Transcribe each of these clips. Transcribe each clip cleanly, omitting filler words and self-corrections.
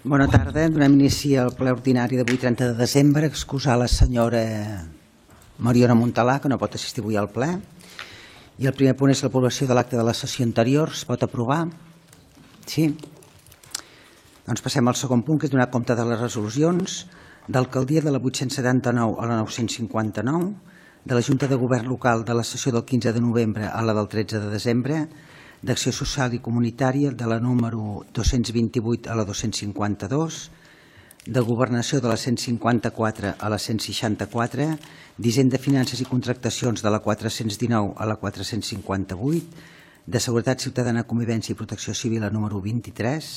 Bona tarda. Donem inici al ple ordinari d'avui, 30 de desembre. Excusar la senyora Mariona Montalà, que no pot assistir avui al ple. I el primer punt és l'aprovació de l'acte de la sessió anterior. Es pot aprovar? Sí? Doncs passem al segon punt, que és donar compte de les resolucions d'alcaldia de la 879 a la 959, de la Junta de Govern Local de la sessió del 15 de novembre a la del 13 de desembre, d'Acció Social i Comunitària de la número 228 a la 252, de Governació de la 154 a la 164, d'Hisenda, Finances i Contractacions de la 419 a la 458, de Seguretat Ciutadana, Convivència i Protecció Civil la número 23,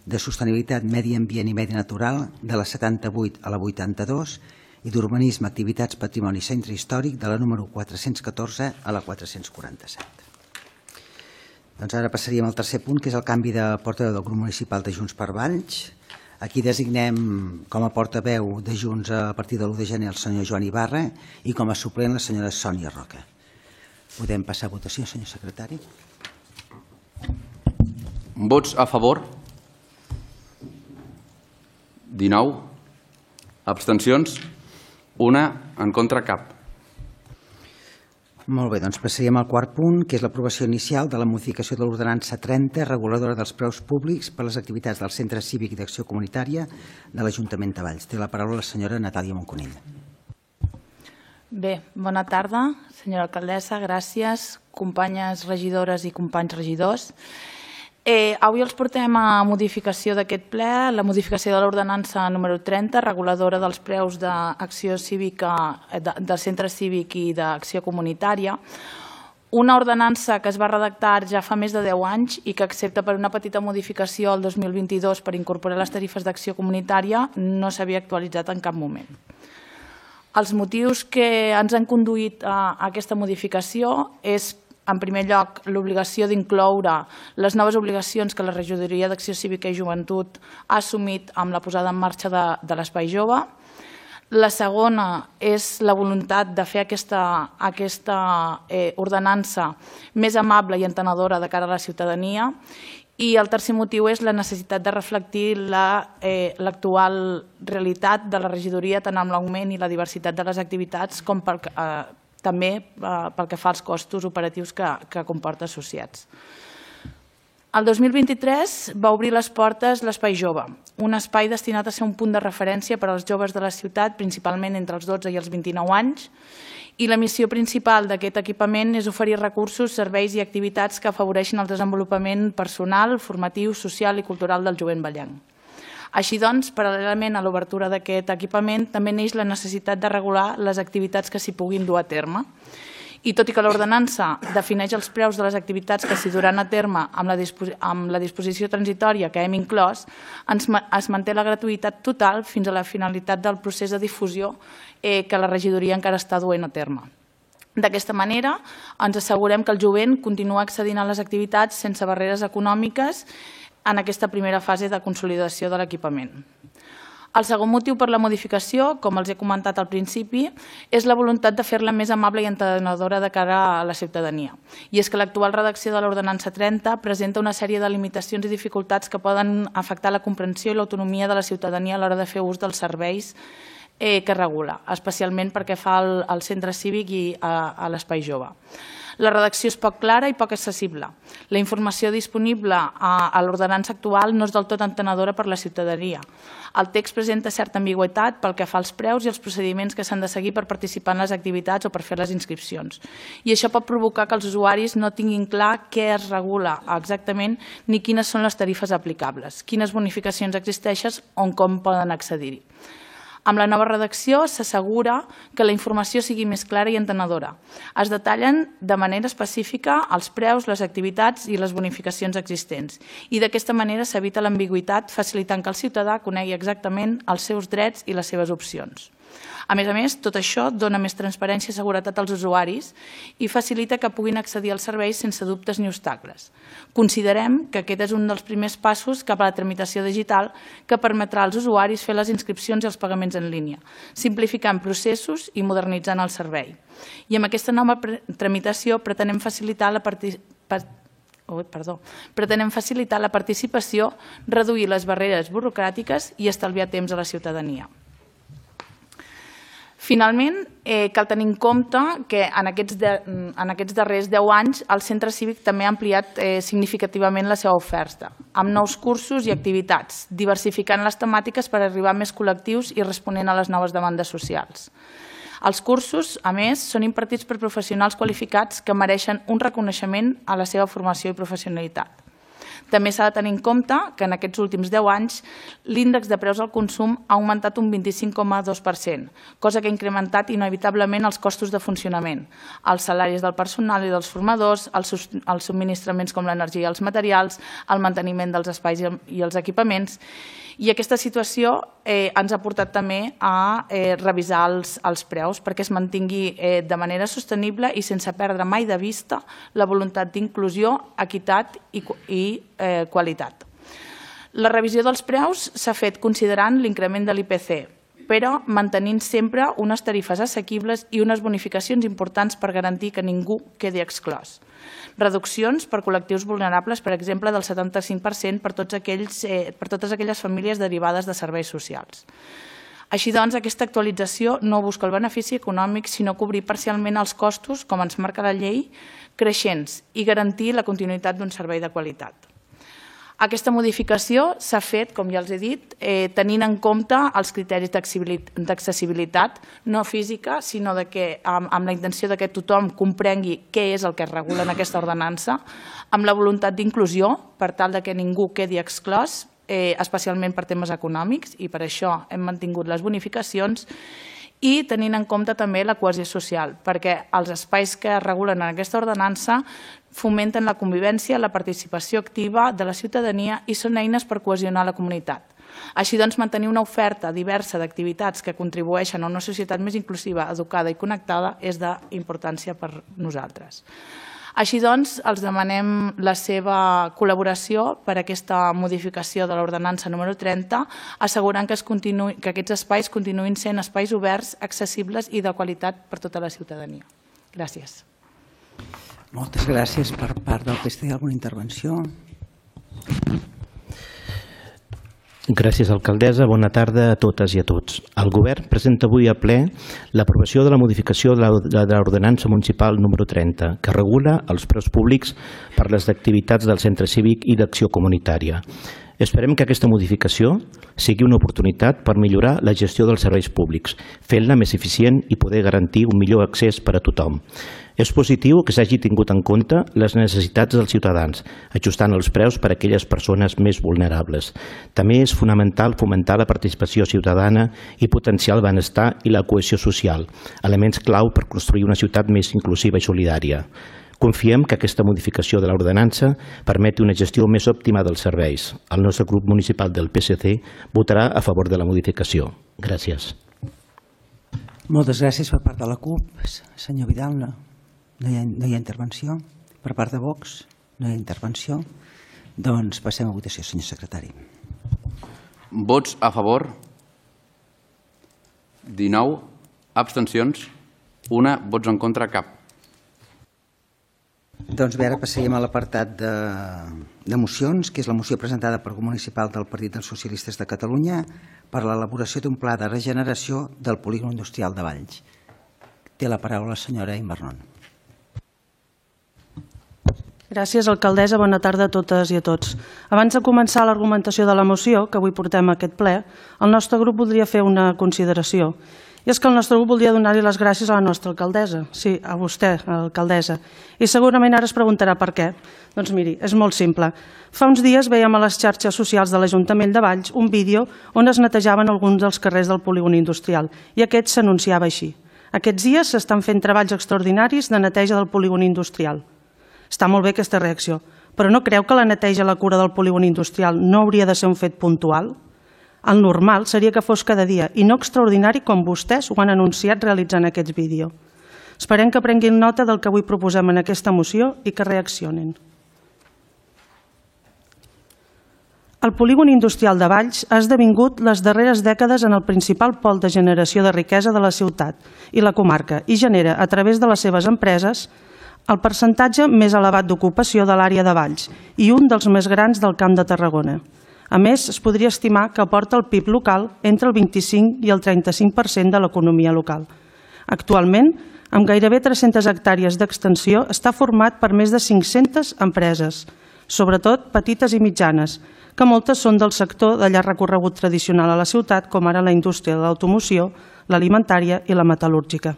de Sostenibilitat, Medi Ambient i Medi Natural de la 78 a la 82 i d'Urbanisme, Activitats, Patrimoni i Centre Històric de la número 414 a la 447. Doncs ara passaríem al tercer punt, que és el canvi de portaveu del grup municipal de Junts per Valls. Aquí designem com a portaveu de Junts a partir de l'1 de gener el senyor Joan Ibarra i com a suplent la senyora Sònia Roca. Podem passar a votació, senyor secretari? Vots a favor? 19. Abstencions? 1. En contra, cap. Molt bé, doncs passaríem al quart punt, que és l'aprovació inicial de la modificació de l'ordenança 30, reguladora dels preus públics per a les activitats del Centre Cívic d'Acció Comunitària de l'Ajuntament de Valls. Té la paraula la senyora Natàlia Monconill. Bé, bona tarda, senyora alcaldessa, gràcies, companyes regidores i companys regidors. Avui els portem a modificació d'aquest ple, la modificació de l'ordenança número 30, reguladora dels preus d'acció cívica, del centre cívic i d'acció comunitària. Una ordenança que es va redactar ja fa més de 10 anys i que, excepte per una petita modificació el 2022 per incorporar les tarifes d'acció comunitària, no s'havia actualitzat en cap moment. Els motius que ens han conduït a aquesta modificació és, en primer lloc, l'obligació d'incloure les noves obligacions que la Regidoria d'Acció Cívica i Joventut ha assumit amb la posada en marxa de l'Espai Jove. La segona és la voluntat de fer aquesta ordenança més amable i entenedora de cara a la ciutadania. I el tercer motiu és la necessitat de reflectir l'actual realitat de la regidoria, tant amb l'augment i la diversitat de les activitats com també pel que fa als costos operatius que comporta associats. El 2023 va obrir les portes l'Espai Jove, un espai destinat a ser un punt de referència per als joves de la ciutat, principalment entre els 12 i els 29 anys, i la missió principal d'aquest equipament és oferir recursos, serveis i activitats que afavoreixin el desenvolupament personal, formatiu, social i cultural del jovent vallenc. Així doncs, paral·lelament a l'obertura d'aquest equipament, també neix la necessitat de regular les activitats que s'hi puguin dur a terme. I tot i que l'ordenança defineix els preus de les activitats que s'hi duran a terme amb la disposició transitòria que hem inclòs, es manté la gratuïtat total fins a la finalitat del procés de difusió que la regidoria encara està duent a terme. D'aquesta manera, ens assegurem que el jovent continua accedint a les activitats sense barreres econòmiques en aquesta primera fase de consolidació de l'equipament. El segon motiu per la modificació, com els he comentat al principi, és la voluntat de fer-la més amable i entenedora de cara a la ciutadania. I és que l'actual redacció de l'ordenança 30 presenta una sèrie de limitacions i dificultats que poden afectar la comprensió i l'autonomia de la ciutadania a l'hora de fer ús dels serveis que regula, especialment perquè fa al centre cívic i a l'Espai Jove. La redacció és poc clara i poc accessible. La informació disponible a l'ordenança actual no és del tot entenedora per la ciutadania. El text presenta certa ambigüitat pel que fa als preus i els procediments que s'han de seguir per participar en les activitats o per fer les inscripcions. I això pot provocar que els usuaris no tinguin clar què es regula exactament ni quines són les tarifes aplicables, quines bonificacions existeixen o com poden accedir-hi. Amb la nova redacció s'assegura que la informació sigui més clara i entenedora. Es detallen de manera específica els preus, les activitats i les bonificacions existents. I d'aquesta manera s'evita l'ambigüitat, facilitant que el ciutadà conegui exactament els seus drets i les seves opcions. A més, tot això dona més transparència i seguretat als usuaris i facilita que puguin accedir als serveis sense dubtes ni obstacles. Considerem que aquest és un dels primers passos cap a la tramitació digital que permetrà als usuaris fer les inscripcions i els pagaments en línia, simplificant processos i modernitzant el servei. I amb aquesta nova tramitació pretenem facilitar Pretenem facilitar la participació, reduir les barreres burocràtiques i estalviar temps a la ciutadania. Finalment, cal tenir en compte que en aquests darrers 10 anys el centre cívic també ha ampliat significativament la seva oferta, amb nous cursos i activitats, diversificant les temàtiques per arribar a més col·lectius i responent a les noves demandes socials. Els cursos, a més, són impartits per professionals qualificats que mereixen un reconeixement a la seva formació i professionalitat. També s'ha de tenir en compte que en aquests últims 10 anys l'índex de preus al consum ha augmentat un 25,2%, cosa que ha incrementat inevitablement els costos de funcionament, els salaris del personal i dels formadors, els subministraments com l'energia i els materials, el manteniment dels espais i els equipaments. I aquesta situació ens ha portat també a revisar els preus perquè es mantingui de manera sostenible i sense perdre mai de vista la voluntat d'inclusió, equitat i qualitat. La revisió dels preus s'ha fet considerant l'increment de l'IPC, però mantenint sempre unes tarifes assequibles i unes bonificacions importants per garantir que ningú quedi exclòs. Reduccions per col·lectius vulnerables, per exemple, del 75% per totes aquelles famílies derivades de serveis socials. Així doncs, aquesta actualització no busca el benefici econòmic, sinó cobrir parcialment els costos, com ens marca la llei, creixents i garantir la continuïtat d'un servei de qualitat. Aquesta modificació s'ha fet, com ja els he dit, tenint en compte els criteris d'accessibilitat, no física, sinó amb la intenció que tothom comprengui què és el que es regula en aquesta ordenança, amb la voluntat d'inclusió, per tal que ningú quedi exclòs, especialment per temes econòmics, i per això hem mantingut les bonificacions, i tenint en compte també la cohesió social, perquè els espais que es regulen en aquesta ordenança fomenten la convivència, la participació activa de la ciutadania i són eines per cohesionar la comunitat. Així doncs, mantenir una oferta diversa d'activitats que contribueixen a una societat més inclusiva, educada i connectada és d'importància per nosaltres. Així doncs, els demanem la seva col·laboració per a aquesta modificació de l'ordenança número 30, assegurant que aquests espais continuïn sent espais oberts, accessibles i de qualitat per tota la ciutadania. Gràcies. Moltes gràcies. Per part del PSC, alguna intervenció? Gràcies, alcaldessa. Bona tarda a totes i a tots. El Govern presenta avui a ple l'aprovació de la modificació de l'ordenança municipal número 30, que regula els preus públics per les activitats del centre cívic i d'acció comunitària. Esperem que aquesta modificació sigui una oportunitat per millorar la gestió dels serveis públics, fent-la més eficient i poder garantir un millor accés per a tothom. És positiu que s'hagi tingut en compte les necessitats dels ciutadans, ajustant els preus per a aquelles persones més vulnerables. També és fonamental fomentar la participació ciutadana i potenciar el benestar i la cohesió social, elements clau per construir una ciutat més inclusiva i solidària. Confiem que aquesta modificació de l'ordenança permeti una gestió més òptima dels serveis. El nostre grup municipal del PSC votarà a favor de la modificació. Gràcies. Moltes gràcies per part de la CUP. Senyor Vidal, no hi ha intervenció. Per part de Vox, no hi ha intervenció. Doncs passem a votació, senyor secretari. Vots a favor? 19. Abstencions? 1. Vots en contra? Cap. Doncs bé, ara passaríem a l'apartat de mocions, que és la moció presentada pel Grup Municipal del Partit dels Socialistes de Catalunya per l'elaboració d'un pla de regeneració del polígon industrial de Valls. Té la paraula la senyora Imernon. Gràcies, alcaldessa. Bona tarda a totes i a tots. Abans de començar l'argumentació de la moció, que avui portem a aquest ple, el nostre grup voldria fer una consideració. I és que el nostre grup voldria donar-li les gràcies a la nostra alcaldessa, sí, a vostè, alcaldessa. I segurament ara es preguntarà per què. Doncs miri, és molt simple. Fa uns dies veiem a les xarxes socials de l'Ajuntament de Valls un vídeo on es netejaven alguns dels carrers del polígon industrial i aquest s'anunciava així. Aquests dies s'estan fent treballs extraordinaris de neteja del polígon industrial. Està molt bé aquesta reacció, però no creu que la neteja i la cura del polígon industrial no hauria de ser un fet puntual? El normal seria que fos cada dia i no extraordinari com vostès ho han anunciat realitzant aquest vídeo. Esperem que prenguin nota del que avui proposem en aquesta moció i que reaccionin. El polígon industrial de Valls ha esdevingut les darreres dècades en el principal pol de generació de riquesa de la ciutat i la comarca i genera, a través de les seves empreses, el percentatge més elevat d'ocupació de l'àrea de Valls i un dels més grans del Camp de Tarragona. A més, es podria estimar que aporta al PIB local entre el 25 i el 35% de l'economia local. Actualment, amb gairebé 300 hectàrees d'extensió, està format per més de 500 empreses, sobretot petites i mitjanes, que moltes són del sector de llarg recorregut tradicional a la ciutat, com ara la indústria de l'automoció, l'alimentària i la metal·lúrgica.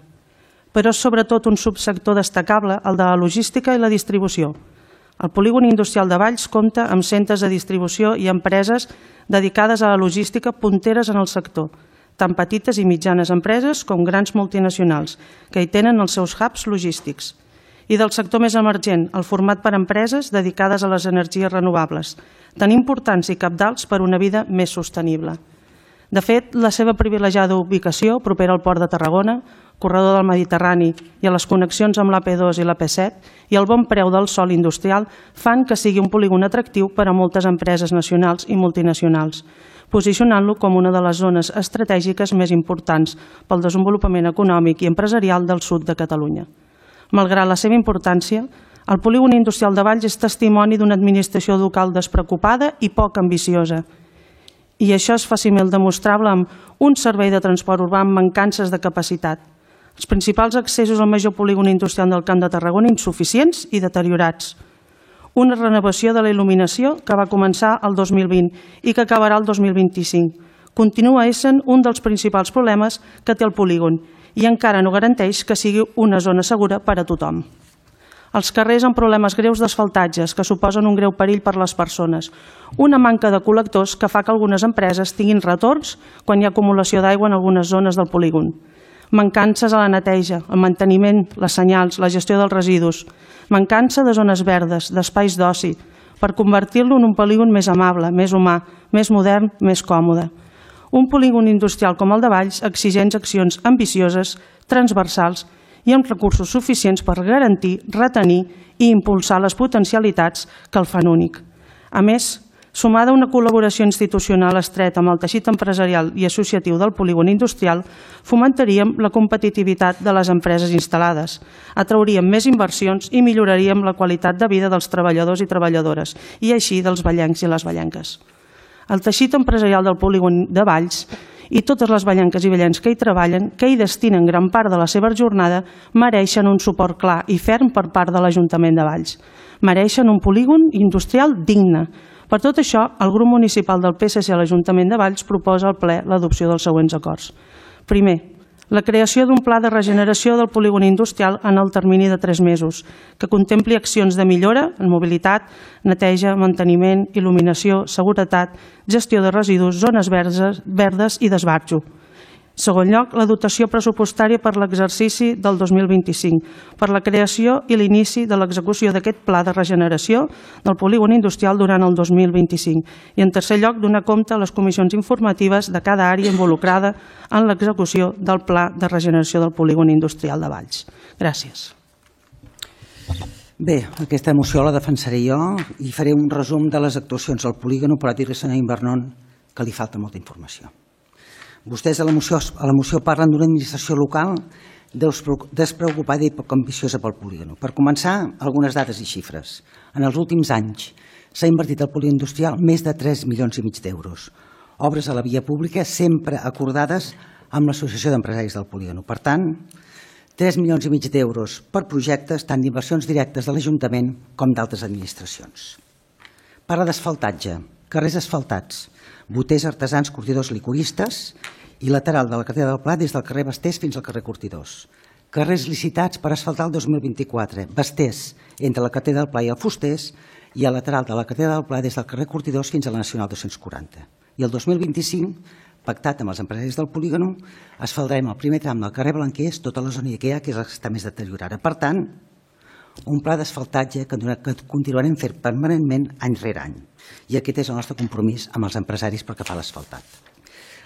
Però és sobretot un subsector destacable el de la logística i la distribució. El polígon industrial de Valls compta amb centres de distribució i empreses dedicades a la logística punteres en el sector, tant petites i mitjanes empreses com grans multinacionals, que hi tenen els seus hubs logístics. I del sector més emergent, el format per empreses dedicades a les energies renovables, tan importants i cabdals per una vida més sostenible. De fet, la seva privilegiada ubicació, propera al Port de Tarragona, corredor del Mediterrani i a les connexions amb l'AP2 i l'AP7 i el bon preu del sòl industrial fan que sigui un polígon atractiu per a moltes empreses nacionals i multinacionals, posicionant-lo com una de les zones estratègiques més importants pel desenvolupament econòmic i empresarial del sud de Catalunya. Malgrat la seva importància, el polígon industrial de Valls és testimoni d'una administració local despreocupada i poc ambiciosa. I això és fàcilment demostrable amb un servei de transport urbà amb mancances de capacitat. Els principals accessos al major polígon industrial del Camp de Tarragona insuficients i deteriorats. Una renovació de la il·luminació que va començar el 2020 i que acabarà el 2025. Continua essent un dels principals problemes que té el polígon i encara no garanteix que sigui una zona segura per a tothom. Els carrers amb problemes greus d'asfaltatges que suposen un greu perill per a les persones. Una manca de col·lectors que fa que algunes empreses tinguin retorns quan hi ha acumulació d'aigua en algunes zones del polígon. Mancances a la neteja, el manteniment, les senyals, la gestió dels residus. Mancança de zones verdes, d'espais d'oci, per convertir-lo en un polígon més amable, més humà, més modern, més còmode. Un polígon industrial com el de Valls exigeix accions ambicioses, transversals i amb recursos suficients per garantir, retenir i impulsar les potencialitats que el fan únic. A més, sumada a una col·laboració institucional estreta amb el teixit empresarial i associatiu del polígon industrial, fomentaríem la competitivitat de les empreses instal·lades, atrauríem més inversions i milloraríem la qualitat de vida dels treballadors i treballadores i així dels vallencs i les vallenques. El teixit empresarial del polígon de Valls i totes les vallenques i vallens que hi treballen, que hi destinen gran part de la seva jornada, mereixen un suport clar i ferm per part de l'Ajuntament de Valls. Mereixen un polígon industrial digne. Per tot això, el grup municipal del PSC a l'Ajuntament de Valls proposa al ple l'adopció dels següents acords. Primer, la creació d'un pla de regeneració del polígon industrial en el termini de 3 mesos, que contempli accions de millora en mobilitat, neteja, manteniment, il·luminació, seguretat, gestió de residus, zones verdes i d'esbarjo. Segon lloc, la dotació pressupostària per l'exercici del 2025, per la creació i l'inici de l'execució d'aquest pla de regeneració del polígon industrial durant el 2025. I en tercer lloc, donar compte a les comissions informatives de cada àrea involucrada en l'execució del pla de regeneració del polígon industrial de Valls. Gràcies. Bé, aquesta moció la defensaré jo i faré un resum de les actuacions al polígon, però dir-li, senyor Invernon, que li falta molta informació. Vostès a la moció parlen d'una administració local despreocupada i poc ambiciosa pel polígon. Per començar, algunes dades i xifres. En els últims anys s'ha invertit al polígon industrial més de 3,5 milions d'euros. Obres a la via pública sempre acordades amb l'Associació d'Empresaris del Polígon. Per tant, 3,5 milions d'euros per projectes tant d'inversions directes de l'Ajuntament com d'altres administracions. Parla d'asfaltatge, carrers asfaltats, boters artesans, curtidors licoristes i lateral de la carretera del Pla des del carrer Basters fins al carrer Curtidors. Carrers licitats per asfaltar el 2024, Basters entre la carretera del Pla i el Fusters i el lateral de la carretera del Pla des del carrer Curtidors fins a la Nacional 240. I el 2025, pactat amb els empresaris del polígon, asfaltarem el primer tram del carrer Blanquers, tota la zona IKEA, que és la que està més deteriorada. Per tant, un pla d'asfaltatge que continuarem fent permanentment any rere any. I aquest és el nostre compromís amb els empresaris pel que fa a l'asfaltat.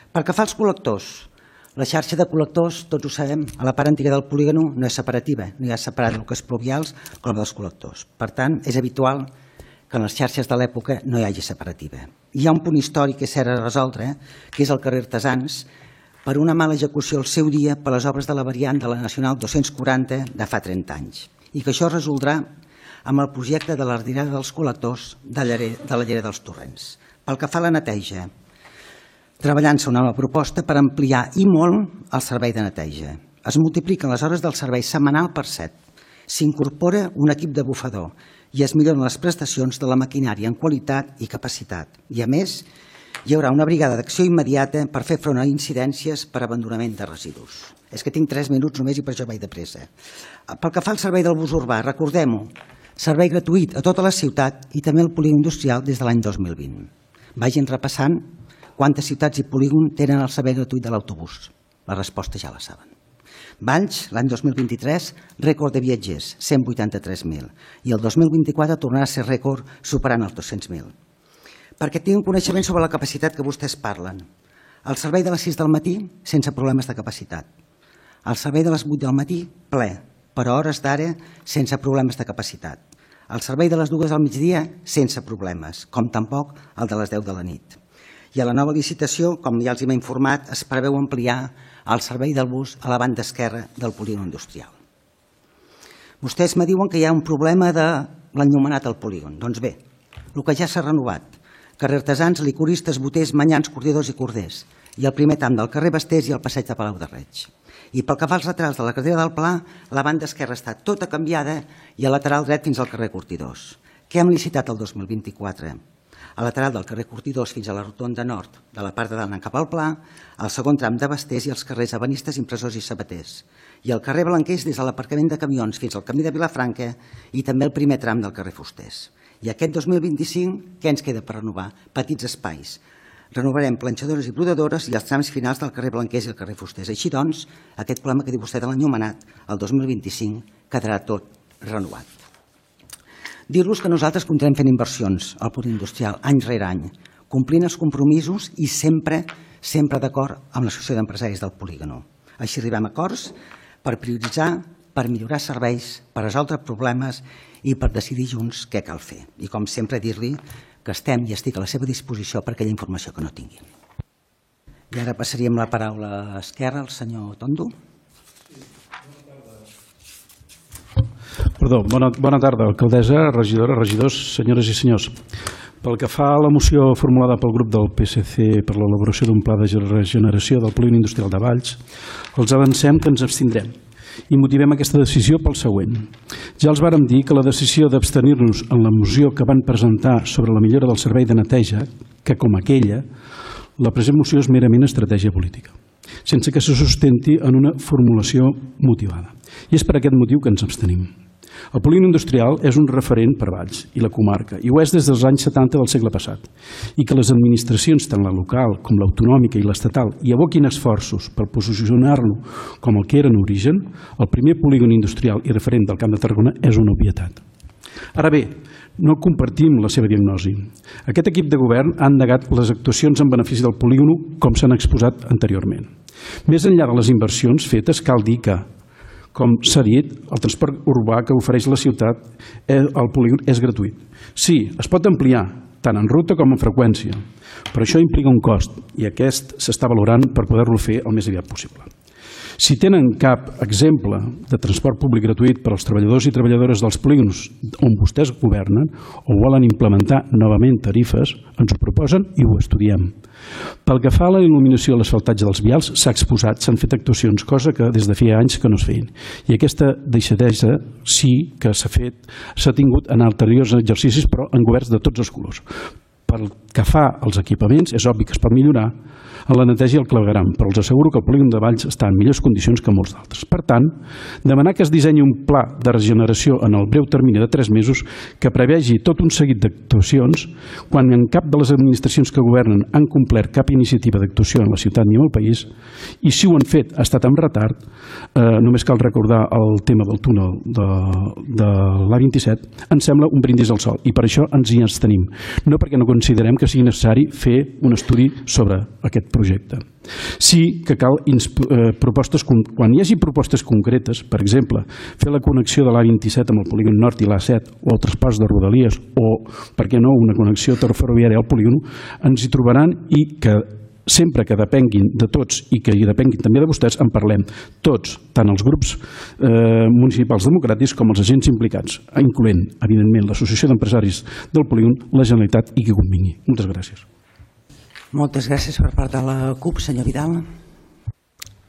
Pel que fa als col·lectors, la xarxa de col·lectors, tots ho sabem, a la part antiga del polígon no és separativa, no hi ha separat el que és pluvials com el dels col·lectors. Per tant, és habitual que en les xarxes de l'època no hi hagi separativa. Hi ha un punt històric que s'ha de resoldre, que és el carrer Artesans, per una mala execució al seu dia per les obres de la variant de la Nacional 240 de fa 30 anys. i que això es resoldrà amb el projecte de la retirada dels col·lectors de la llera dels torrents. Pel que fa a la neteja, treballant-se una nova proposta per ampliar i molt el servei de neteja. Es multipliquen les hores del servei setmanal per 7. S'incorpora un equip de bufador i es milloren les prestacions de la maquinària en qualitat i capacitat. I, a més, hi haurà una brigada d'acció immediata per fer front a incidències per abandonament de residus. És que tinc 3 minuts només i per això vaig de pressa. Pel que fa al servei del bus urbà, recordem-ho, servei gratuït a tota la ciutat i també al polígon industrial des de l'any 2020. Vagin repassant quantes ciutats i polígon tenen el servei gratuït de l'autobús. La resposta ja la saben. Valls, l'any 2023, rècord de viatgers, 183.000. I el 2024 tornarà a ser rècord superant els 200.000. Perquè tinguin coneixement sobre la capacitat que vostès parlen. El servei de les 6 del matí, sense problemes de capacitat. El servei de les 8 del matí, ple, però a hores d'ara, sense problemes de capacitat. El servei de les 2 al migdia, sense problemes, com tampoc el de les 10 de la nit. I a la nova licitació, com ja els hem informat, es preveu ampliar el servei del bus a la banda esquerra del polígon industrial. Vostès me diuen que hi ha un problema de l'enllumenat al polígon. Doncs bé, el que ja s'ha renovat, carrer Artesans, licoristes, boters, manyans, cordiadors i corders, i el primer tram del carrer Bastés i el passeig de Palau de Reig. I pel que fa als laterals de la carretera del Pla, la banda esquerra està tota canviada i el lateral dret fins al carrer Cortidors. Què hem licitat el 2024? El lateral del carrer Cortidors fins a la rotonda nord de la part de dalt cap al Pla, el segon tram de Bastés i els carrers Ebanistes, Impressors i Sabaters, i el carrer Blanquers des de l'aparcament de camions fins al camí de Vilafranca i també el primer tram del carrer Fusters. I aquest 2025, què ens queda per renovar? Petits espais. Renovarem planxadores i brodadores i els trams finals del carrer Blanquers i el carrer Fusters. Així doncs, aquest problema que diu vostè de l'enllumenat, el 2025 quedarà tot renovat. Dir-los que nosaltres continuem fent inversions al polígon industrial any rere any, complint els compromisos i sempre d'acord amb l'associació d'empresaris del polígon. Així arribem a acords per prioritzar, per millorar serveis, per resoldre problemes i per decidir junts què cal fer. I com sempre dir-li que estem i estic a la seva disposició per aquella informació que no tinguin. I ara passaríem la paraula a l'esquerra, al senyor Tondo. Perdó, bona tarda, alcaldessa, regidora, regidors, senyores i senyors. Pel que fa a la moció formulada pel grup del PSC per l'elaboració d'un pla de regeneració del polígon industrial de Valls, els avancem que ens abstindrem i motivem aquesta decisió pel següent. Ja els vàrem dir que la decisió d'abstenir-nos en la moció que van presentar sobre la millora del servei de neteja, que com aquella, la present moció és merament estratègia política, sense que se sustenti en una formulació motivada. I és per aquest motiu que ens abstenim. El polígon industrial és un referent per Valls i la comarca, i ho és des dels anys 70 del segle passat, i que les administracions, tant la local com l'autonòmica i l'estatal, hi aboquin esforços per posicionar-lo com el que era en origen, el primer polígon industrial i referent del Camp de Tarragona és una obvietat. Ara bé, no compartim la seva diagnosi. Aquest equip de govern ha endegat les actuacions en benefici del polígon com s'han exposat anteriorment. Més enllà de les inversions fetes, cal dir que, com s'ha dit, el transport urbà que ofereix la ciutat al polígon és gratuït. Sí, es pot ampliar, tant en ruta com en freqüència, però això implica un cost i aquest s'està valorant per poder-lo fer el més aviat possible. Si tenen cap exemple de transport públic gratuït per als treballadors i treballadores dels polígons on vostès governen o volen implementar novament tarifes, ens ho proposen i ho estudiem. Pel que fa a la il·luminació i l'asfaltatge dels vials, s'ha exposat, s'han fet actuacions, cosa que des de feia anys que no es feien. I aquesta deixadesa sí que s'ha tingut en anteriors exercicis, però en governs de tots els colors. Pel que fa als equipaments, és obvi que es pot millorar en la neteja i el clavegueram, però els asseguro que el polígon de Valls està en millors condicions que molts d'altres. Per tant, demanar que es dissenyi un pla de regeneració en el breu termini de 3 mesos que prevegi tot un seguit d'actuacions, quan en cap de les administracions que governen han complert cap iniciativa d'actuació en la ciutat ni en el país, i si ho han fet ha estat amb retard, només cal recordar el tema del túnel de l'A27, ens sembla un brindis al sol, i per això ens hi abstenim. No perquè no considerem que sigui necessari fer un estudi sobre aquest projecte. Sí que cal propostes, quan hi hagi propostes concretes, per exemple, fer la connexió de l'A27 amb el polígon nord i l'A7 o el traspàs de Rodalies o, per què no, una connexió ferroviària al polígon, ens hi trobaran i que sempre que depenguin de tots i que hi depenguin també de vostès, en parlem tots, tant els grups municipals democràtics com els agents implicats, incloent, evidentment, l'Associació d'Empresaris del Polígon, la Generalitat i qui convingui. Moltes gràcies. Moltes gràcies per part de la CUP, senyor Vidal.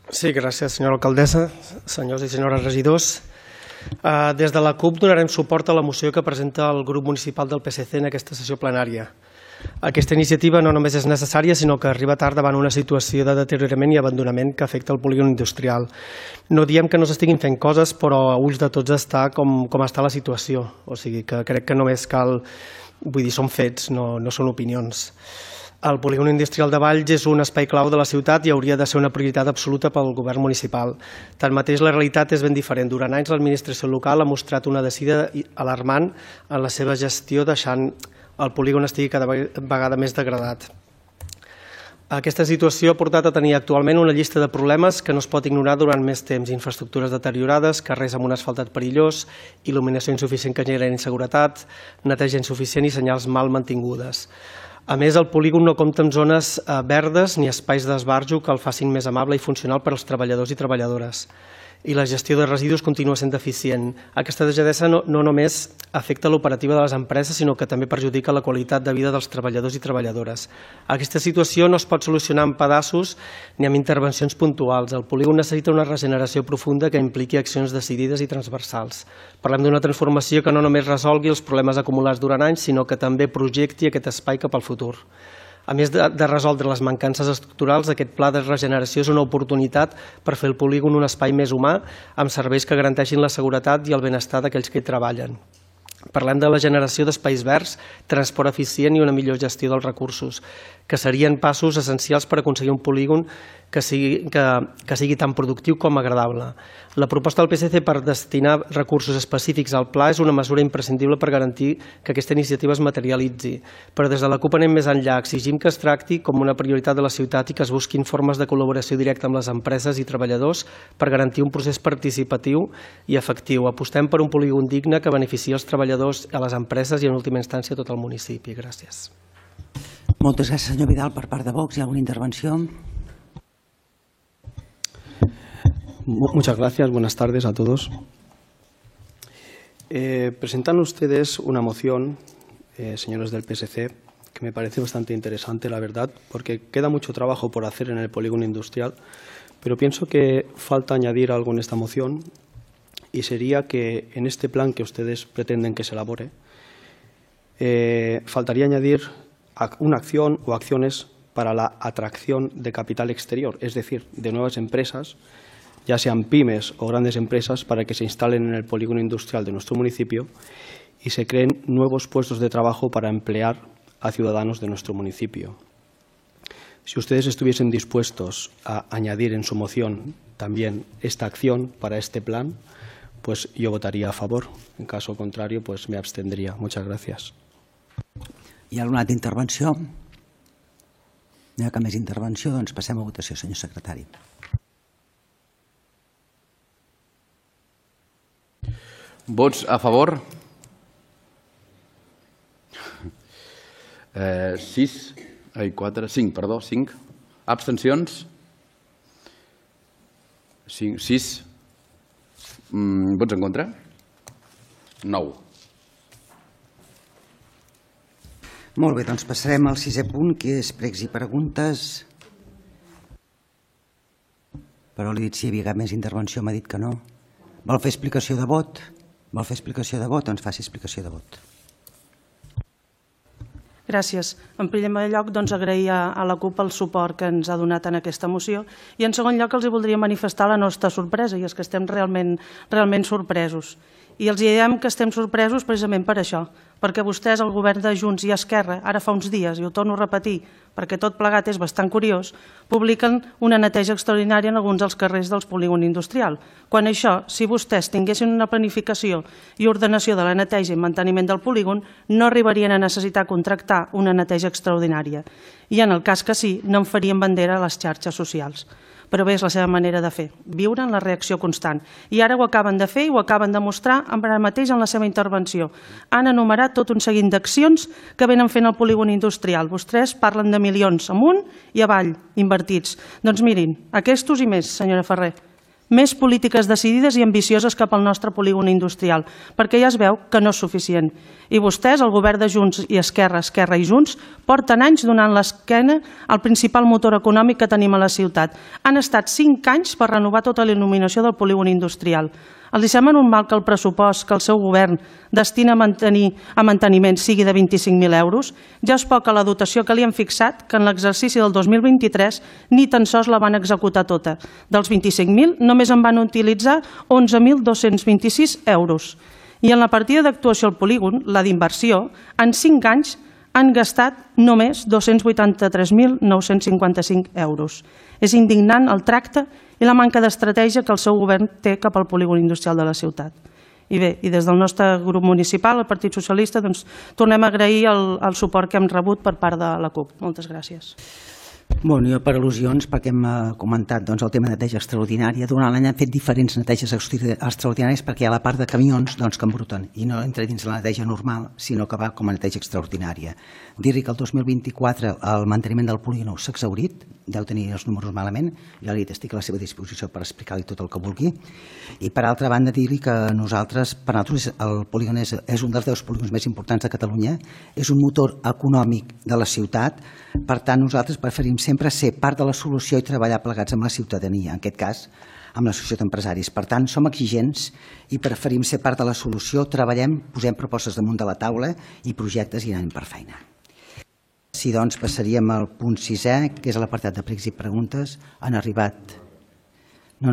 Sí, gràcies, senyora alcaldessa, senyors i senyores regidors. Des de la CUP donarem suport a la moció que presenta el grup municipal del PSC en aquesta sessió plenària. Aquesta iniciativa no només és necessària, sinó que arriba tard davant una situació de deteriorament i abandonament que afecta el polígon industrial. No diem que no s'estiguin fent coses, però a ulls de tots està com està la situació. O sigui que crec que només cal, vull dir, són fets, no són opinions. El polígon industrial de Valls és un espai clau de la ciutat i hauria de ser una prioritat absoluta pel govern municipal. Tanmateix, la realitat és ben diferent. Durant anys, l'administració local ha mostrat una decidida alarmant en la seva gestió, deixant el polígon estigui cada vegada més degradat. Aquesta situació ha portat a tenir actualment una llista de problemes que no es pot ignorar durant més temps. Infraestructures deteriorades, carrers amb un asfaltat perillós, il·luminació insuficient que genera inseguretat, neteja insuficient i senyals mal mantingudes. A més, el polígon no compta amb zones verdes ni espais d'esbarjo que el facin més amable i funcional per als treballadors i treballadores. I la gestió de residus continua sent deficient. Aquesta degradesa no només afecta l'operativa de les empreses, sinó que també perjudica la qualitat de vida dels treballadors i treballadores. Aquesta situació no es pot solucionar en pedaços ni amb intervencions puntuals. El polígon necessita una regeneració profunda que impliqui accions decidides i transversals. Parlem d'una transformació que no només resolgui els problemes acumulats durant anys, sinó que també projecti aquest espai cap al futur. A més de resoldre les mancances estructurals, aquest pla de regeneració és una oportunitat per fer el polígon un espai més humà, amb serveis que garanteixin la seguretat i el benestar d'aquells que hi treballen. Parlem de la generació d'espais verds, transport eficient i una millor gestió dels recursos, que serien passos essencials per aconseguir un polígon que sigui tan productiu com agradable. La proposta del PSC per destinar recursos específics al pla és una mesura imprescindible per garantir que aquesta iniciativa es materialitzi. Però des de la CUP anem més enllà. Exigim que es tracti com una prioritat de la ciutat i que es busquin formes de col·laboració directa amb les empreses i treballadors per garantir un procés participatiu i efectiu. Apostem per un polígon digne que beneficiï els treballadors, a les empreses i en última instància tot el municipi. Gràcies. Moltes gràcies, senyor Vidal. Per part de Vox, ¿hay alguna intervención? Muchas gracias, buenas tardes a todos. Presentan ustedes una moción, señores del PSC, que me parece bastante interesante, la verdad, porque queda mucho trabajo por hacer en el polígono industrial, pero pienso que falta añadir algo en esta moción y sería que en este plan que ustedes pretenden que se elabore, faltaría añadir una acción o acciones para la atracción de capital exterior, es decir, de nuevas empresas, ya sean pymes o grandes empresas, para que se instalen en el polígono industrial de nuestro municipio y se creen nuevos puestos de trabajo para emplear a ciudadanos de nuestro municipio. Si ustedes estuviesen dispuestos a añadir en su moción también esta acción para este plan, pues yo votaría a favor. En caso contrario, pues me abstendría. Muchas gracias. Hi ha alguna altra intervenció? No hi ha cap més intervenció, doncs passem a votació, senyor secretari. Vots a favor? 5. Abstencions? 6. Vots en contra? 9. Molt bé, doncs passarem al 6è punt, que és pregs i preguntes. Però li he dit si hi havia cap més intervenció, m'ha dit que no. Vol fer explicació de vot? Vol fer explicació de vot? Doncs faci explicació de vot. Gràcies. En primer lloc, agrair a la CUP el suport que ens ha donat en aquesta moció i en segon lloc els voldria manifestar la nostra sorpresa, i és que estem realment sorpresos. I els diem que estem sorpresos precisament per això, perquè vostès, el govern de Junts i Esquerra, ara fa uns dies, i ho torno a repetir, perquè tot plegat és bastant curiós, publiquen una neteja extraordinària en alguns dels carrers del polígon industrial. Quan això, si vostès tinguessin una planificació i ordenació de la neteja i manteniment del polígon, no arribarien a necessitar contractar una neteja extraordinària. I en el cas que sí, no en farien bandera a les xarxes socials. però bé, és la seva manera de fer, viure en la reacció constant. I ara ho acaben de fer i ho acaben de mostrar ara mateix en la seva intervenció. Han enumerat tot un seguit d'accions que venen fent el polígon industrial. Vostès parlen de milions amunt i avall invertits. Doncs mirin, aquestos i més, senyora Ferrer. Més polítiques decidides i ambicioses cap al nostre polígon industrial, perquè ja es veu que no és suficient. I vostès, el govern de Junts i Esquerra, Esquerra i Junts, porten anys donant l'esquena al principal motor econòmic que tenim a la ciutat. Han estat 5 anys per renovar tota la il·luminació del polígon industrial. Els sembla normal que el pressupost que el seu govern destina a manteniment sigui de 25.000 euros? Ja és poca la dotació que li han fixat, que en l'exercici del 2023 ni tan sols la van executar tota. Dels 25.000 només en van utilitzar 11.226 euros. I en la partida d'actuació al polígon, la d'inversió, en 5 anys han gastat només 283.955 euros. És indignant el tracte i la manca d'estratègia que el seu govern té cap al polígon industrial de la ciutat. I bé, i des del nostre grup municipal, el Partit Socialista, doncs, tornem a agrair el suport que hem rebut per part de la CUP. Moltes gràcies. Bueno, jo per al·lusions, perquè hem comentat el tema de neteja extraordinària. Durant l'any han fet diferents neteges extraordinàries perquè hi ha la part de camions que embruten i no entra dins la neteja normal, sinó que va com a neteja extraordinària. Dir-li que el 2024 el manteniment del polígon s'ha exhaurit, deu tenir els números malament, ja li estic a la seva disposició per explicar-li tot el que vulgui. I per altra banda dir-li que nosaltres, per nosaltres el polígon és un dels 10 polígons més importants de Catalunya, és un motor econòmic de la ciutat, per tant nosaltres preferim sempre ser part de la solució i treballar plegats amb la ciutadania, en aquest cas amb l'associació d'empresaris. Per tant, som exigents i preferim ser part de la solució, treballem, posem propostes damunt de la taula i projectes i anem per feina. Sí, doncs passaríem al punt 6è, que és l'apartat de pregs i preguntes. No han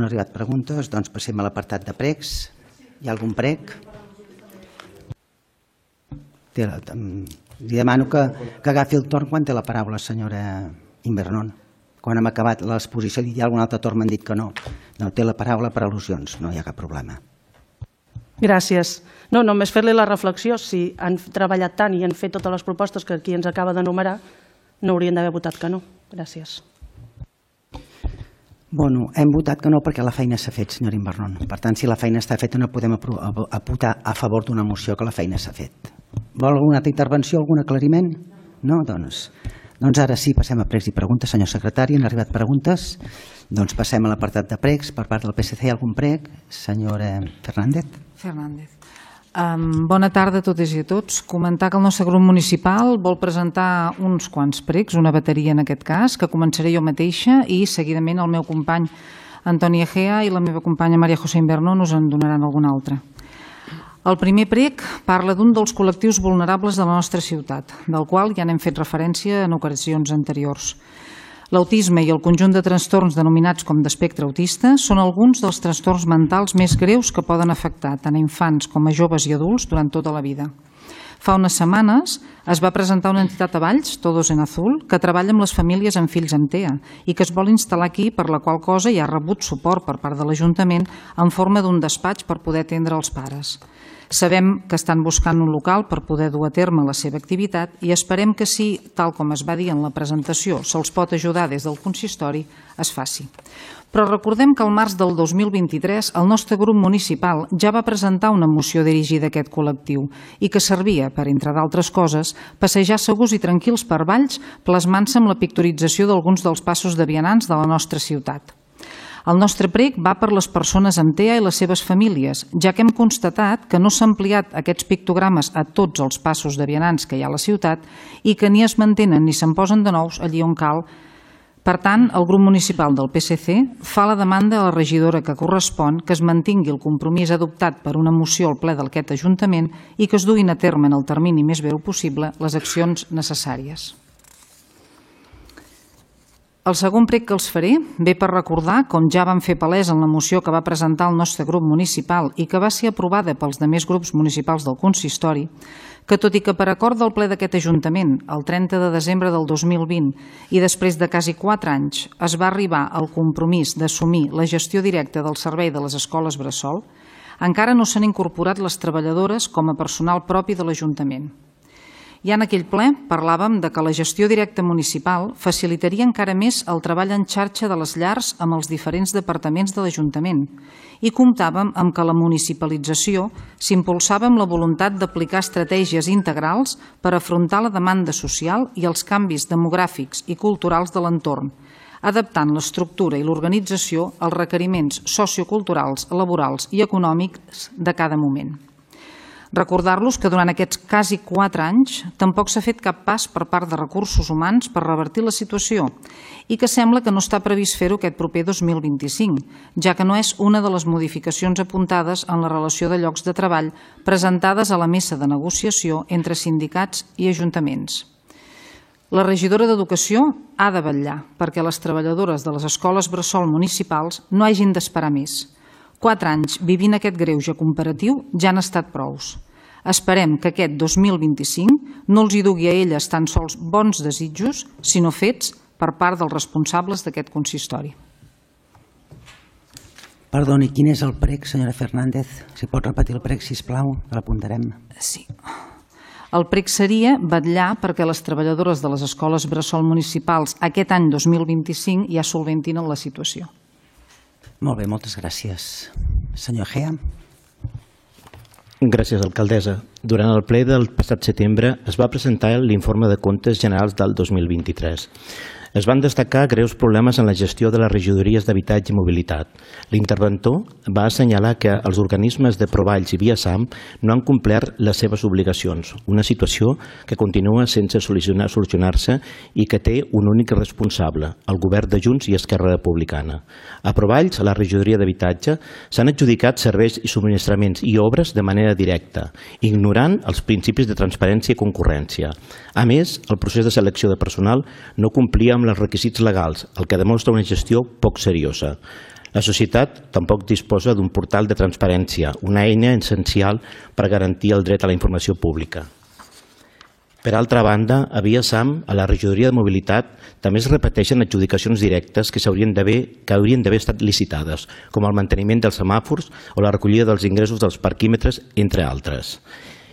arribat preguntes, doncs passem a l'apartat de pregs. Hi ha algun preg? Li demano que agafi el torn quan té la paraula, senyora Invernon. Quan hem acabat l'exposició i hi ha algun altre torn m'han dit que no. No, té la paraula per al·lusions, no hi ha cap problema. Gràcies. No, només fer-li la reflexió, si han treballat tant i han fet totes les propostes que aquí ens acaba d'enumerar, no haurien d'haver votat que no. Gràcies. Bueno, hem votat que no perquè la feina s'ha fet, senyora Invernon. Per tant, si la feina està feta no podem votar a favor d'una moció que la feina s'ha fet. Vol alguna altra intervenció, algun aclariment? No? Doncs ara sí, passem a pregs i preguntes. Senyor secretari, han arribat preguntes? Doncs passem a l'apartat de pregs. Per part del PSC, hi ha algun preg? Senyora Fernández. Bona tarda a totes i a tots. Comentar que el nostre grup municipal vol presentar uns quants pregs, una bateria en aquest cas, que començaré jo mateixa i seguidament el meu company Antoni Egea i la meva companya Maria José Invernon us en donaran algun altre. El primer prec parla d'un dels col·lectius vulnerables de la nostra ciutat, del qual ja n'hem fet referència en ocasions anteriors. L'autisme i el conjunt de trastorns denominats com d'espectre autista són alguns dels trastorns mentals més greus que poden afectar tant a infants com a joves i adults durant tota la vida. Fa unes setmanes es va presentar una entitat a Valls, Todos en Azul, que treballa amb les famílies amb fills amb TEA i que es vol instal·lar aquí, per la qual cosa ja ha rebut suport per part de l'Ajuntament en forma d'un despatx per poder atendre els pares. Sabem que estan buscant un local per poder dur a terme la seva activitat i esperem que si, tal com es va dir en la presentació, se'ls pot ajudar des del consistori, es faci. Però recordem que al març del 2023 el nostre grup municipal ja va presentar una moció dirigida a aquest col·lectiu i que servia per, entre d'altres coses, passejar segurs i tranquils per Valls plasmant-se amb la pictorització d'alguns dels passos de vianants de la nostra ciutat. El nostre prec va per les persones amb TEA i les seves famílies, ja que hem constatat que no s'han ampliat aquests pictogrames a tots els passos de vianants que hi ha a la ciutat i que ni es mantenen ni se'n posen de nous allí on cal. Per tant, el grup municipal del PSC fa la demanda a la regidora que correspon que es mantingui el compromís adoptat per una moció al ple d'aquest Ajuntament i que es duguin a terme en el termini més breu possible les accions necessàries. El segon prec que els faré ve per recordar, com ja vam fer palès en la moció que va presentar el nostre grup municipal i que va ser aprovada pels demés grups municipals del consistori, que tot i que per acord del ple d'aquest Ajuntament, el 30 de desembre del 2020, i després de quasi 4 anys, es va arribar al compromís d'assumir la gestió directa del servei de les escoles bressol, encara no s'han incorporat les treballadores com a personal propi de l'Ajuntament. Ja en aquell ple parlàvem de que la gestió directa municipal facilitaria encara més el treball en xarxa de les llars amb els diferents departaments de l'Ajuntament i comptàvem amb que la municipalització s'impulsava amb la voluntat d'aplicar estratègies integrals per afrontar la demanda social i els canvis demogràfics i culturals de l'entorn, adaptant l'estructura i l'organització als requeriments socioculturals, laborals i econòmics de cada moment. Recordar-los que durant aquests quasi 4 anys tampoc s'ha fet cap pas per part de recursos humans per revertir la situació i que sembla que no està previst fer-ho aquest proper 2025, ja que no és una de les modificacions apuntades en la relació de llocs de treball presentades a la mesa de negociació entre sindicats i ajuntaments. La regidora d'Educació ha de vetllar perquè les treballadores de les escoles bressol municipals no hagin d'esperar més. 4 anys vivint aquest greuge comparatiu ja han estat prous. Esperem que aquest 2025 no els hi dugui a elles tan sols bons desitjos, sinó fets per part dels responsables d'aquest consistori. Perdoni, quin és el prec, senyora Fernández? Si pot repetir el prec, sisplau, que l'apuntarem. Sí. El prec seria vetllar perquè les treballadores de les escoles bressol municipals aquest any 2025 ja solventin la situació. Molt bé, moltes gràcies. Senyor Gea. Gràcies, alcaldessa. Durant el ple del passat setembre es va presentar l'informe de comptes generals del 2023. Es van destacar greus problemes en la gestió de les regidories d'habitatge i mobilitat. L'interventor va assenyalar que els organismes de Provalls i Viasam no han complert les seves obligacions, una situació que continua sense solucionar-se i que té un únic responsable, el govern de Junts i Esquerra Republicana. A Provalls, a la regidoria d'habitatge, s'han adjudicat serveis i subministraments i obres de manera directa, ignorant els principis de transparència i concurrència. A més, el procés de selecció de personal no complia amb els requisits legals, el que demostra una gestió poc seriosa. La societat tampoc disposa d'un portal de transparència, una eina essencial per garantir el dret a la informació pública. Per altra banda, a Viasam, a la regidoria de mobilitat, també es repeteixen adjudicacions directes que haurien d'haver estat licitades, com el manteniment dels semàfors o la recollida dels ingressos dels parquímetres, entre altres.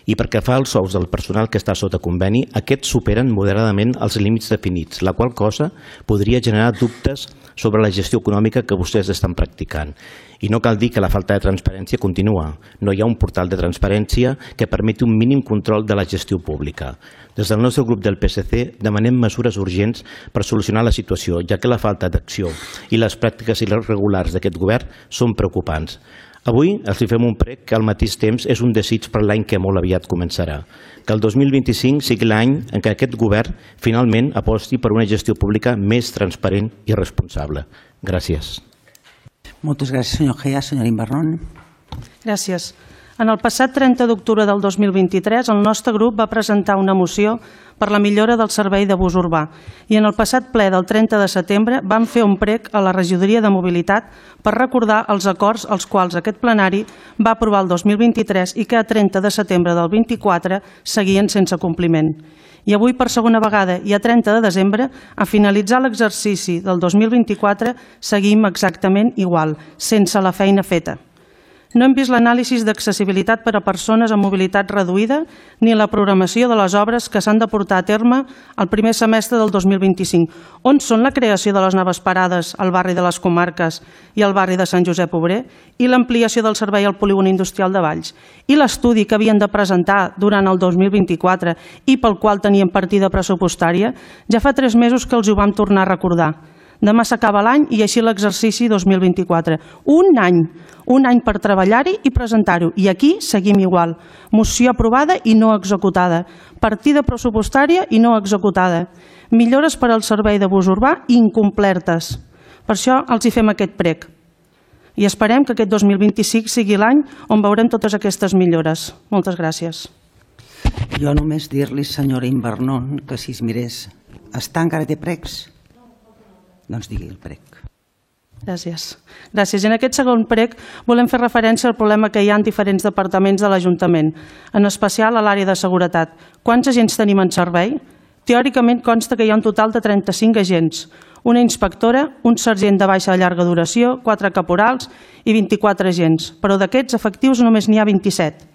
I perquè fa els sous del personal que està sota conveni, aquests superen moderadament els límits definits, la qual cosa podria generar dubtes sobre la gestió econòmica que vostès estan practicant. I no cal dir que la falta de transparència continua. No hi ha un portal de transparència que permeti un mínim control de la gestió pública. Des del nostre grup del PSC demanem mesures urgents per solucionar la situació, ja que la falta d'acció i les pràctiques irregulars d'aquest govern són preocupants. Avui els fem un prec que al mateix temps és un desig per l'any que molt aviat començarà. Que el 2025 sigui l'any en què aquest govern finalment aposti per una gestió pública més transparent i responsable. Gràcies. Moltes gràcies, senyor Gea. Senyor Imbarrón. Gràcies. En el passat 30 d'octubre del 2023, el nostre grup va presentar una moció per la millora del servei de bus urbà i en el passat ple del 30 de setembre vam fer un prec a la regidoria de mobilitat per recordar els acords als quals aquest plenari va aprovar el 2023 i que a 30 de setembre del 24 seguien sense compliment. I avui, per segona vegada i a 30 de desembre, a finalitzar l'exercici del 2024, seguim exactament igual, sense la feina feta. No hem vist l'anàlisi d'accessibilitat per a persones amb mobilitat reduïda ni la programació de les obres que s'han de portar a terme el primer semestre del 2025. On són la creació de les noves parades al barri de les Comarques i al barri de Sant Josep Obrer i l'ampliació del servei al polígon industrial de Valls? I l'estudi que havien de presentar durant el 2024 i pel qual tenien partida pressupostària? Ja fa 3 mesos que els ho vam tornar a recordar. Demà s'acaba l'any i així l'exercici 2024. Un any per treballar-hi i presentar-ho. I aquí seguim igual. Moció aprovada i no executada. Partida pressupostària i no executada. Millores per al servei de bus urbà incomplertes. Per això els hi fem aquest prec. I esperem que aquest 2025 sigui l'any on veurem totes aquestes millores. Moltes gràcies. Jo només dir-li, senyora Imbarrón, que si es mirés, està encara té precs? Doncs digui el prec. Gràcies. I en aquest segon prec volem fer referència al problema que hi ha en diferents departaments de l'Ajuntament, en especial a l'àrea de seguretat. Quants agents tenim en servei? Teòricament consta que hi ha un total de 35 agents, una inspectora, un sergent de baixa de llarga duració, 4 caporals i 24 agents, però d'aquests efectius només n'hi ha 27.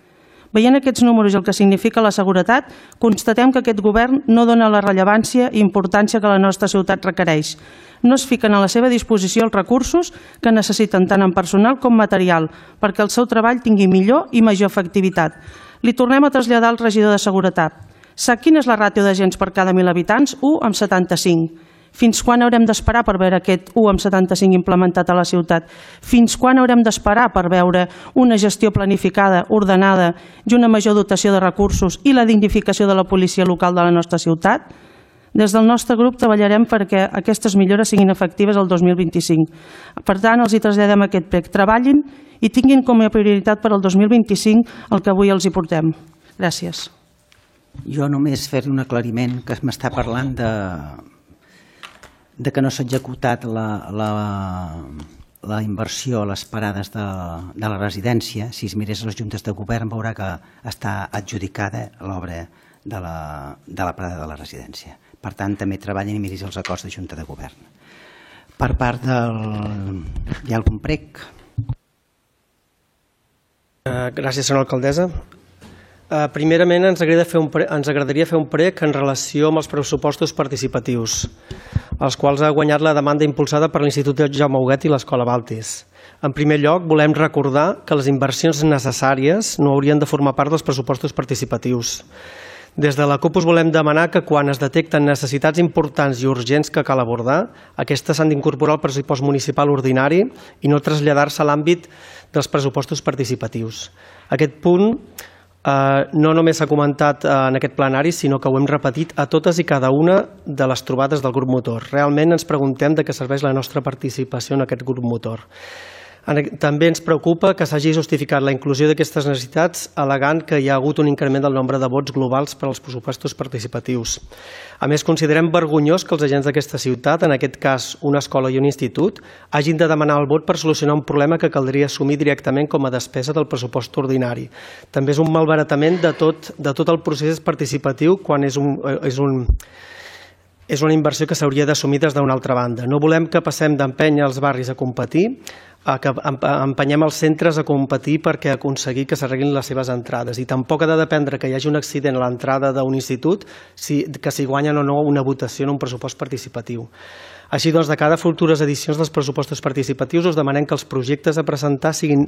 Veient aquests números i el que significa la seguretat, constatem que aquest govern no dona la rellevància i importància que la nostra ciutat requereix. No es fiquen a la seva disposició els recursos que necessiten tant en personal com material perquè el seu treball tingui millor i major efectivitat. Li tornem a traslladar al regidor de Seguretat. Sap quina és la ràtio d'agents per cada 1.000 habitants? 1:75. Fins quan haurem d'esperar per veure aquest 1:75 implementat a la ciutat? Fins quan haurem d'esperar per veure una gestió planificada, ordenada i una major dotació de recursos i la dignificació de la policia local de la nostra ciutat? Des del nostre grup treballarem perquè aquestes millores siguin efectives el 2025. Per tant, els hi traslladem aquest prec. Treballin i tinguin com a prioritat per al 2025 el que avui els hi portem. Gràcies. Jo només fer un aclariment que m'està parlant de que no s'ha executat la inversió a les parades de la residència. Si es mirés les juntes de govern veurà que està adjudicada l'obra de la parada de la residència. Per tant, també treballen i miris els acords de junta de govern. Per part del... Hi ha algun prec? Gràcies, senyora alcaldessa. Primerament, ens agradaria fer un prec en relació amb els pressupostos participatius, els quals ha guanyat la demanda impulsada per l'Institut Jaume Huguet i l'Escola Baltis. En primer lloc, volem recordar que les inversions necessàries no haurien de formar part dels pressupostos participatius. Des de la CUP us volem demanar que quan es detecten necessitats importants i urgents que cal abordar, aquestes s'han d'incorporar al pressupost municipal ordinari i no traslladar-se a l'àmbit dels pressupostos participatius. Aquest punt no només s'ha comentat en aquest plenari, sinó que ho hem repetit a totes i cada una de les trobades del grup motor. Realment ens preguntem de què serveix la nostra participació en aquest grup motor. També ens preocupa que s'hagi justificat la inclusió d'aquestes necessitats al·legant que hi ha hagut un increment del nombre de vots globals per als pressupostos participatius. A més, considerem vergonyós que els agents d'aquesta ciutat, en aquest cas una escola i un institut, hagin de demanar el vot per solucionar un problema que caldria assumir directament com a despesa del pressupost ordinari. També és un malbaratament de tot el procés participatiu quan és una inversió que s'hauria d'assumir des d'una altra banda. No volem que passem d'empènyer els barris a competir, que empenyem els centres a competir perquè aconseguir que s'arreglin les seves entrades. I tampoc ha de dependre que hi hagi un accident a l'entrada d'un institut que si guanyen o no una votació en un pressupost participatiu. Així doncs, de cada futures edicions dels pressupostos participatius us demanem que els projectes a presentar siguin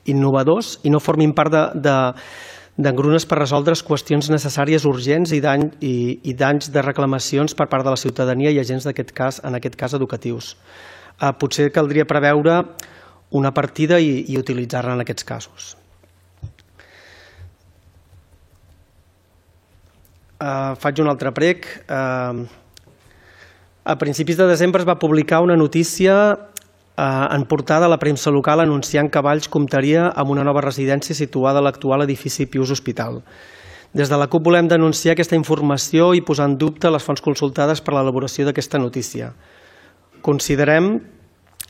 innovadors i no formin part d'engrunes per resoldre qüestions necessàries urgents i danys de reclamacions per part de la ciutadania i agents en aquest cas educatius. Potser caldria preveure una partida i utilitzar-la en aquests casos. Faig un altre prec. A principis de desembre es va publicar una notícia en portada a la premsa local anunciant que Valls comptaria amb una nova residència situada a l'actual edifici Pius Hospital. Des de la CUP volem denunciar aquesta informació i posar en dubte les fonts consultades per a l'elaboració d'aquesta notícia. Considerem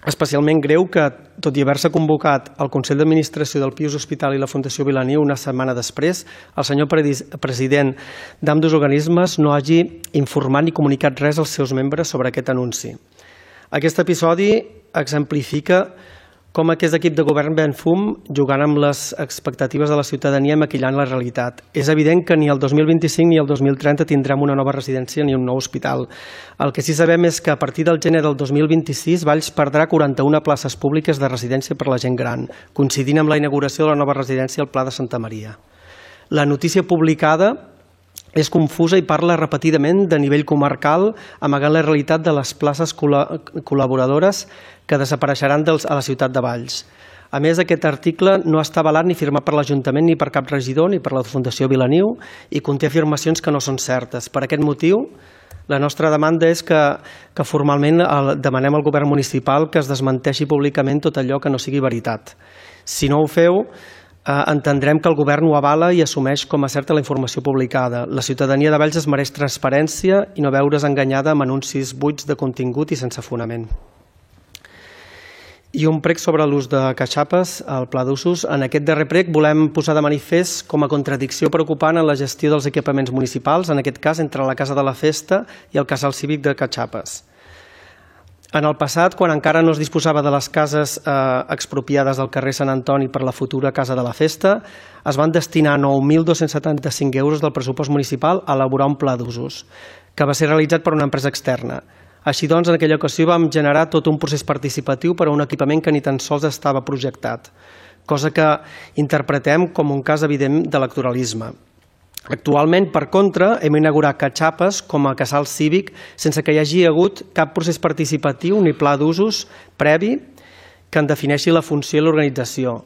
especialment greu que, tot i haver-se convocat el Consell d'Administració del Pius Hospital i la Fundació Vilaniu una setmana després, el senyor president d'ambdós organismes no hagi informat ni comunicat res als seus membres sobre aquest anunci. Aquest episodi exemplifica com aquest equip de govern ven fum jugant amb les expectatives de la ciutadania i maquillant la realitat. És evident que ni el 2025 ni el 2030 tindrem una nova residència ni un nou hospital. El que sí sabem és que a partir del gener del 2026 Valls perdrà 41 places públiques de residència per a la gent gran, coincidint amb la inauguració de la nova residència al Pla de Santa Maria. La notícia publicada és confusa i parla repetidament de nivell comarcal, amagant la realitat de les places col·laboradores que desapareixeran a la ciutat de Valls. A més, aquest article no està avalat ni firmat per l'Ajuntament ni per cap regidor ni per la Fundació Vilaniu i conté afirmacions que no són certes. Per aquest motiu, la nostra demanda és que formalment demanem al govern municipal que es desmenteixi públicament tot allò que no sigui veritat. Si no ho feu, entendrem que el govern ho avala i assumeix com a certa la informació publicada. La ciutadania de Valls es mereix transparència i no veure's enganyada amb anuncis buits de contingut i sense fonament. I un prec sobre l'ús de catxapes al pla d'usos. En aquest darrer prec volem posar de manifest com a contradicció preocupant en la gestió dels equipaments municipals, en aquest cas entre la Casa de la Festa i el Casal Cívic de Catxapes. En el passat, quan encara no es disposava de les cases expropiades del carrer Sant Antoni per la futura Casa de la Festa, es van destinar 9.275 euros del pressupost municipal a elaborar un pla d'usos, que va ser realitzat per una empresa externa. Així doncs, en aquella ocasió vam generar tot un procés participatiu per a un equipament que ni tan sols estava projectat, cosa que interpretem com un cas evident d'electoralisme. Actualment, per contra, hem inaugurat Catxapes com a casal cívic sense que hi hagi hagut cap procés participatiu ni pla d'usos previ que en defineixi la funció i l'organització.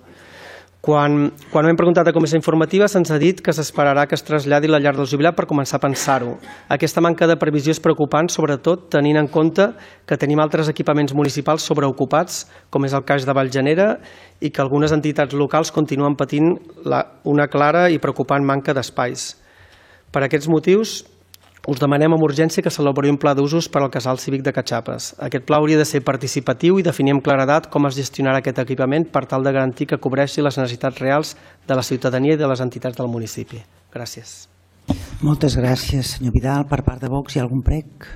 Quan hem preguntat a Comissió Informativa se'ns ha dit que s'esperarà que es traslladi la llar del jubilat per començar a pensar-ho. Aquesta manca de previsió és preocupant, sobretot tenint en compte que tenim altres equipaments municipals sobreocupats, com és el cas de Vallgenera, i que algunes entitats locals continuen patint una clara i preocupant manca d'espais. Per aquests motius, us demanem amb urgència que s'elabori un pla d'usos per al casal cívic de Catxapes. Aquest pla hauria de ser participatiu i definir amb claredat com es gestionarà aquest equipament per tal de garantir que cobreixi les necessitats reals de la ciutadania i de les entitats del municipi. Gràcies. Moltes gràcies, senyor Vidal. Per part de Vox, hi ha algun prec?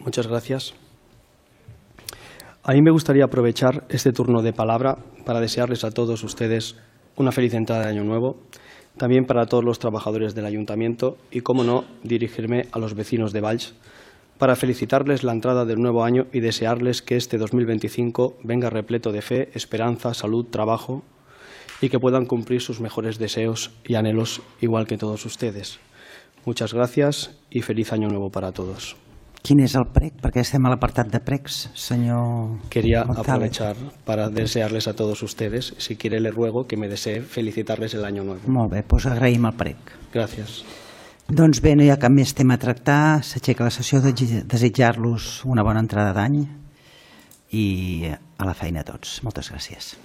Muchas gracias. A mí me gustaría aprovechar este turno de palabra para desearles a todos ustedes una feliz entrada de Año Nuevo, también para todos los trabajadores del Ayuntamiento y, cómo no, dirigirme a los vecinos de Valls para felicitarles la entrada del nuevo año y desearles que este 2025 venga repleto de fe, esperanza, salud, trabajo y que puedan cumplir sus mejores deseos y anhelos igual que todos ustedes. Muchas gracias y feliz Año Nuevo para todos. Quin és el prec? Perquè estem a l'apartat de precs, senyor Quería González. aprovechar para desearles a todos ustedes, si quiere le ruego que me desee felicitarles el Año Nuevo. Molt bé, doncs agraïm el prec. Gracias. Doncs bé, no hi ha cap més tema a tractar. S'aixeca la sessió de desitjar-los una bona entrada d'any i a la feina a tots. Moltes gràcies.